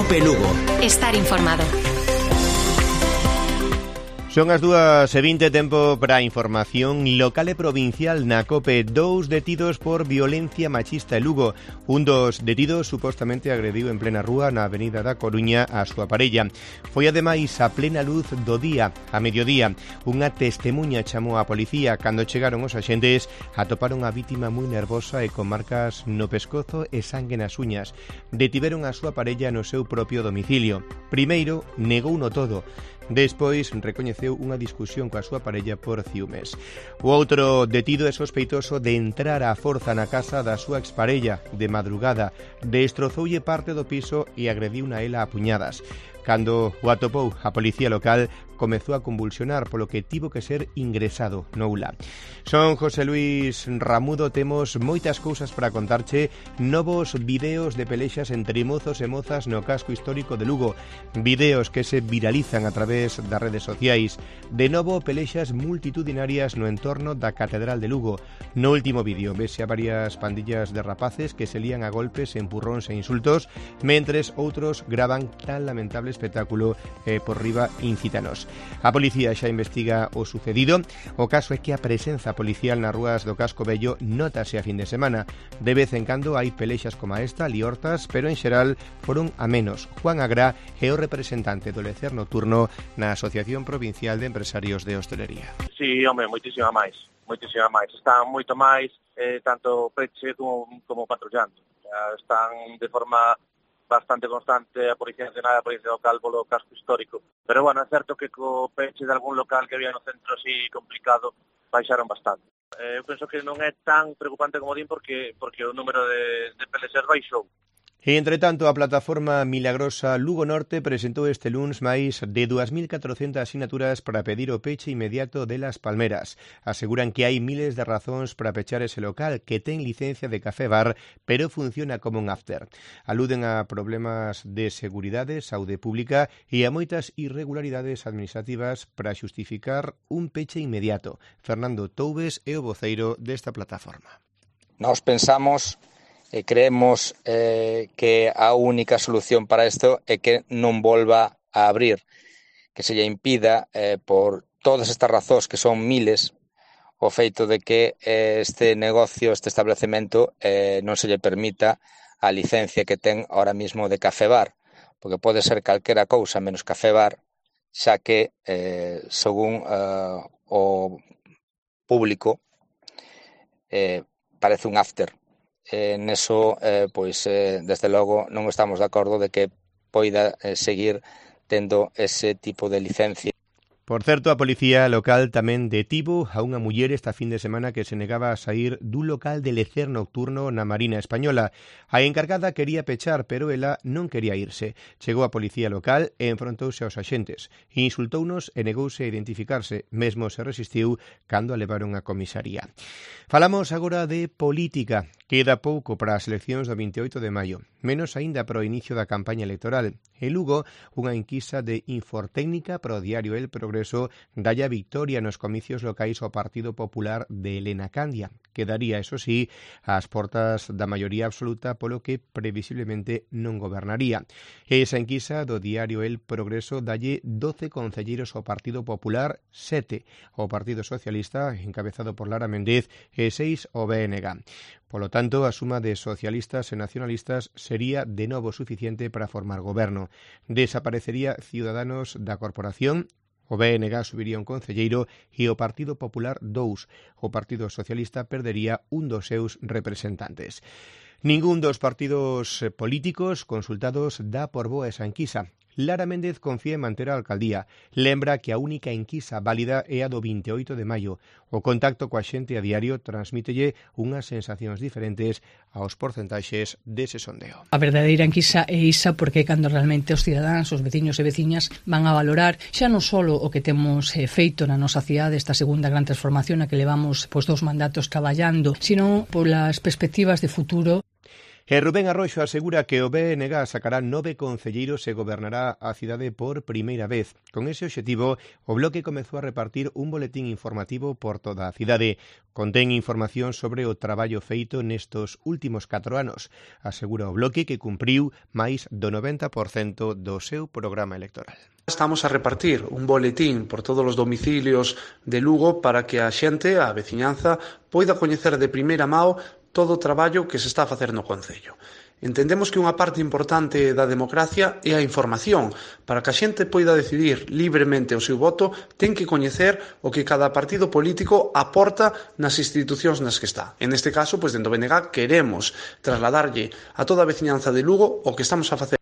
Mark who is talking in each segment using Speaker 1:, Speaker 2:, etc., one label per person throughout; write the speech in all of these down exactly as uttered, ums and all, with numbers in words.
Speaker 1: Cope Lugo.
Speaker 2: Estar informado.
Speaker 3: Son as dúas e vinte, tempo para a información local e provincial na Cope. Dous detidos por violencia machista en Lugo. Un dos detidos supostamente agrediu en plena rúa na avenida da Coruña a súa parella. Foi ademais a plena luz do día, a mediodía. Unha testemunha chamou á policía. Cando chegaron os axentes, atoparon a vítima moi nervosa e con marcas no pescozo e sangue nas uñas. Detiveron a súa parella no seu propio domicilio. Primeiro, negouno todo. Despois recoñeceu unha discusión coa súa parella por ciúmes. O outro detido é sospeitoso de entrar á forza na casa da súa exparella de madrugada. Destrozoulle parte do piso e agrediuna a ela a puñadas. Cando o atopou a policía local, comezou a convulsionar, polo que tivo que ser ingresado no U L A. Son José Luis Ramudo, temos moitas cousas para contarche, novos videos de pelexas entre mozos e mozas no casco histórico de Lugo, videos que se viralizan a través das redes sociais, de novo pelexas multitudinarias no entorno da Catedral de Lugo. No último vídeo vese a varias pandillas de rapaces que se lían a golpes, empurróns e insultos, mentres outros gravan tan lamentable espectáculo eh, por riba incítanos. A policía xa investiga o sucedido. O caso é que a presenza policial nas rúas do casco vello notase a fin de semana. De vez en cando hai pelexas como esta, liortas, pero en xeral foron a menos. Juan Agrá é o representante do lecer nocturno na Asociación Provincial de Empresarios de Hostelería.
Speaker 4: Sí, home, moitísima máis, moitísima máis. Están moito máis, eh, tanto peche como, como patrullando. Están de forma bastante constante a Policía Nacional e a Policía Local polo casco histórico. Pero, bueno, é certo que co peche de algún local que había no centro así complicado baixaron bastante. Eh, eu penso que non é tan preocupante como din porque porque o número de, de pelexas baixou.
Speaker 3: E, entre tanto, a plataforma Milagrosa Lugo Norte presentou este luns máis de dúas mil catrocentas sinaturas para pedir o peche inmediato de Las Palmeras. Aseguran que hai miles de razóns para pechar ese local, que ten licencia de café bar, pero funciona como un after. Aluden a problemas de seguridade, saúde pública e a moitas irregularidades administrativas para xustificar un peche inmediato. Fernando Toubes é o voceiro desta plataforma.
Speaker 5: Nós pensamos e creemos eh, que a única solución para isto é que non volva a abrir, que se lle impida eh, por todas estas razóns que son miles o feito de que eh, este negocio, este establecemento eh, non se lle permita a licencia que ten ahora mismo de café bar, porque pode ser calquera cousa menos café bar, xa que eh, según eh, o público eh, parece un after. Eh, neso, eh, pois, eh, desde logo, non estamos de acordo de que poida eh, seguir tendo ese tipo de licencia.
Speaker 3: Por certo, a policía local tamén detivo a unha muller esta fin de semana que se negaba a sair dun local de lecer nocturno na Marina Española. A encargada quería pechar, pero ela non quería irse. Chegou a policía local e enfrontouse aos axentes. Insultounos e negouse a identificarse. Mesmo se resistiu cando a levaron a comisaría. Falamos agora de política. Queda pouco para as eleccións do vinte e oito de maio. Menos aínda para o inicio da campaña electoral. En Lugo, unha enquisa de Infortécnica para o diario El Progreso dalle a victoria nos comicios locais ao Partido Popular de Elena Candia. Quedaría, eso sí, ás portas da maioría absoluta, polo que previsiblemente non gobernaría. Esa enquisa do diario El Progreso dalle doce concelleiros ao Partido Popular, sete ao Partido Socialista, encabezado por Lara Méndez, e seis ao B N G. Polo tanto, a suma de socialistas e nacionalistas sería de novo suficiente para formar goberno. Desaparecería Ciudadanos da corporación, o B N G subiría un concelleiro e o Partido Popular dous. O Partido Socialista perdería un dos seus representantes. Ningún dos partidos políticos consultados dá por boa esa enquisa. Lara Méndez confía en manter a alcaldía. Lembra que a única enquisa válida é a do vinte e oito de maio. O contacto coa xente a diario transmítelle unhas sensacións diferentes aos porcentaxes dese sondeo.
Speaker 6: A verdadeira enquisa é isa porque é cando realmente os cidadáns, os veciños e veciñas van a valorar xa non só o que temos eh, feito na nosa cidade, esta segunda gran transformación a que levamos pois, dos mandatos caballando, sino polas perspectivas de futuro.
Speaker 3: E Rubén Arroxo asegura que o B N G sacará nove concelleiros e gobernará a cidade por primeira vez. Con ese obxectivo, o Bloque comezou a repartir un boletín informativo por toda a cidade. Contén información sobre o traballo feito nestos últimos catro anos. Asegura o Bloque que cumpriu máis do noventa por cento do seu programa electoral.
Speaker 1: Estamos a repartir un boletín por todos os domicilios de Lugo para que a xente, a veciñanza, poida coñecer de primeira mão todo o traballo que se está a facer no Concello. Entendemos que unha parte importante da democracia é a información. Para que a xente poida decidir libremente o seu voto, ten que coñecer o que cada partido político aporta nas institucións nas que está. En este caso, pois, dentro do B N G, queremos trasladarlle a toda a veciñanza de Lugo o que estamos a facer.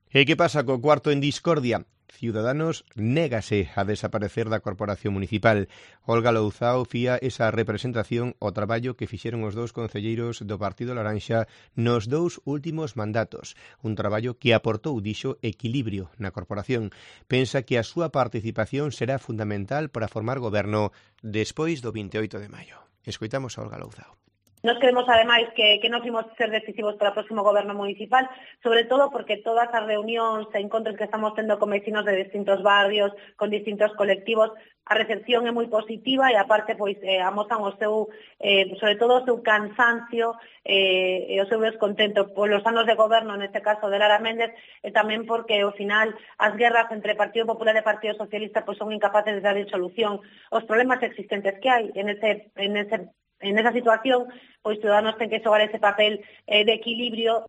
Speaker 3: E que pasa co cuarto en discordia? Ciudadanos négase a desaparecer da Corporación Municipal. Olga Louzao fía esa representación ao traballo que fixeron os dous concelleiros do Partido Laranxa nos dous últimos mandatos. Un traballo que aportou, dixo, equilibrio na corporación. Pensa que a súa participación será fundamental para formar goberno despois do veintioito de maio. Escoitamos a Olga Louzao.
Speaker 2: Nos creemos, ademais, que, que nos imos ser decisivos para o próximo goberno municipal, sobre todo porque todas as reunións e encontros que estamos tendo con vecinos de distintos barrios, con distintos colectivos, a recepción é moi positiva e, aparte, pois, eh, amosan o seu, eh, sobre todo o seu cansancio eh, e o seu descontento polos anos de goberno, neste caso de Lara Méndez, e tamén porque, ao final, as guerras entre Partido Popular e Partido Socialista pois, son incapaces de dar solución aos problemas existentes que hai en ese, en ese En esa situación, pois Ciudadanos ten que xogar ese papel eh, de equilibrio.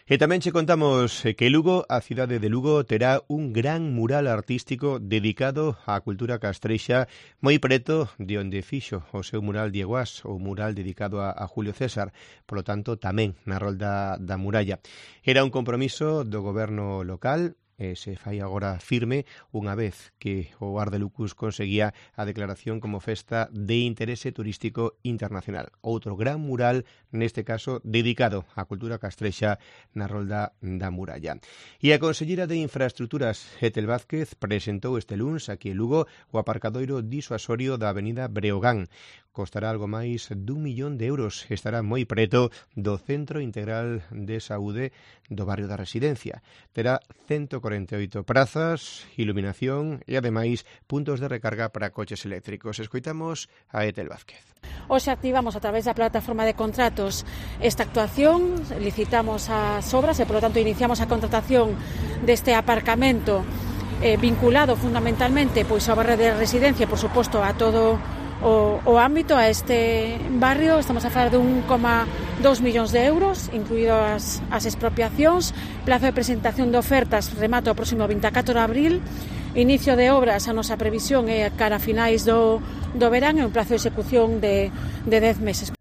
Speaker 3: E tamén che contamos que Lugo, a cidade de Lugo, terá un gran mural artístico dedicado á cultura castrexa moi preto de onde fixo o seu mural Diego As, o mural dedicado a, a Julio César, polo tanto tamén na rolda da muralla. Era un compromiso do goberno local, e se fai agora firme unha vez que o Ar de Lucus conseguía a declaración como festa de interese turístico internacional. Outro gran mural, neste caso, dedicado á cultura castrexa na rolda da muralla. E a consellera de Infraestructuras, Ethel Vázquez, presentou este luns aquí en Lugo o aparcadoiro disuasorio da avenida Breogán. Costará algo máis dun millón de euros. Estará moi preto do Centro Integral de Saúde do barrio da Residencia. Terá ciento corenta e oito prazas, iluminación e, ademais, puntos de recarga para coches eléctricos. Escoitamos a Ethel Vázquez.
Speaker 7: Hoxe activamos a través da plataforma de contratos esta actuación, licitamos as obras e, polo tanto, iniciamos a contratación deste aparcamento eh, vinculado fundamentalmente pois ao barrio de Residencia, por suposto, a todo O, o ámbito a este barrio. Estamos a falar de un coma dos millóns de euros, incluído as, as expropiacións. Plazo de presentación de ofertas remata o próximo vinte e catro de abril. Inicio de obras, a nosa previsión é cara a finais do, do verán, e un plazo de execución de, de dez meses.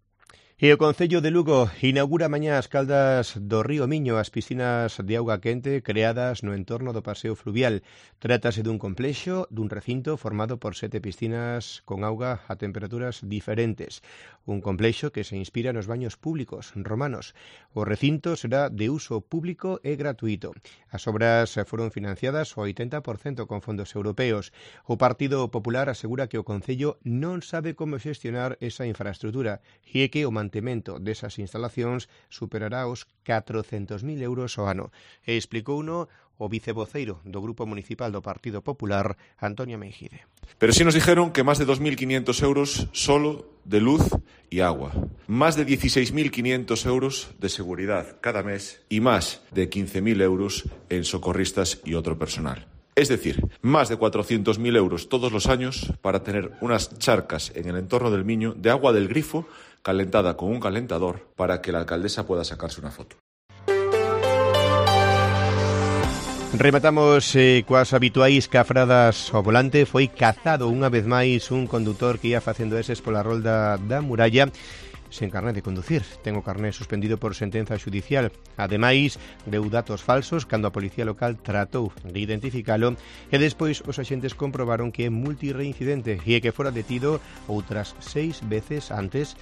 Speaker 3: E o Concello de Lugo inaugura mañá as caldas do río Miño, as piscinas de auga quente creadas no entorno do paseo fluvial. Trátase dun complexo, dun recinto formado por sete piscinas con auga a temperaturas diferentes. Un complexo que se inspira nos baños públicos romanos. O recinto será de uso público e gratuito. As obras foron financiadas ao oitenta por cento con fondos europeos. O Partido Popular asegura que o Concello non sabe como xestionar esa infraestructura e que o mantemento desas instalacións superará os catrocentos mil euros ao ano. E explicouno o vicevoceiro do Grupo Municipal do Partido Popular, Antonio Meijide.
Speaker 8: Pero sí nos dijeron que más de dos mil quinientos euros solo de luz y agua, más de dieciséis mil quinientos euros de seguridad cada mes y más de quince mil euros en socorristas y otro personal. Es decir, más de cuatrocientos mil euros todos los años para tener unas charcas en el entorno del Miño de agua del grifo calentada con un calentador para que la alcaldesa pueda sacarse una foto.
Speaker 3: Rematamos eh, coas habituais cafradas ao volante. Foi cazado unha vez máis un condutor que ia facendo eses pola rolda da muralla sen carné de conducir. Ten o carné suspendido por sentenza xudicial. Ademais, deu datos falsos cando a policía local tratou de identificalo e despois os axentes comprobaron que é multireincidente e que fora detido outras seis veces antes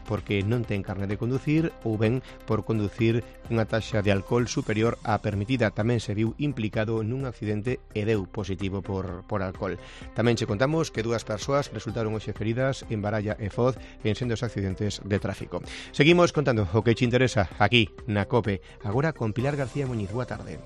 Speaker 3: porque non ten carné de conducir ou ben por conducir cunha taxa de alcohol superior á permitida. Tamén se viu implicado nun accidente e deu positivo por, por alcohol. Tamén che contamos que dúas persoas resultaron hoxe feridas en Baralla e Foz en sendos accidentes de tráfico. Seguimos contando o que te interesa aquí na COPE, agora con Pilar García Muñiz. Boa tarde.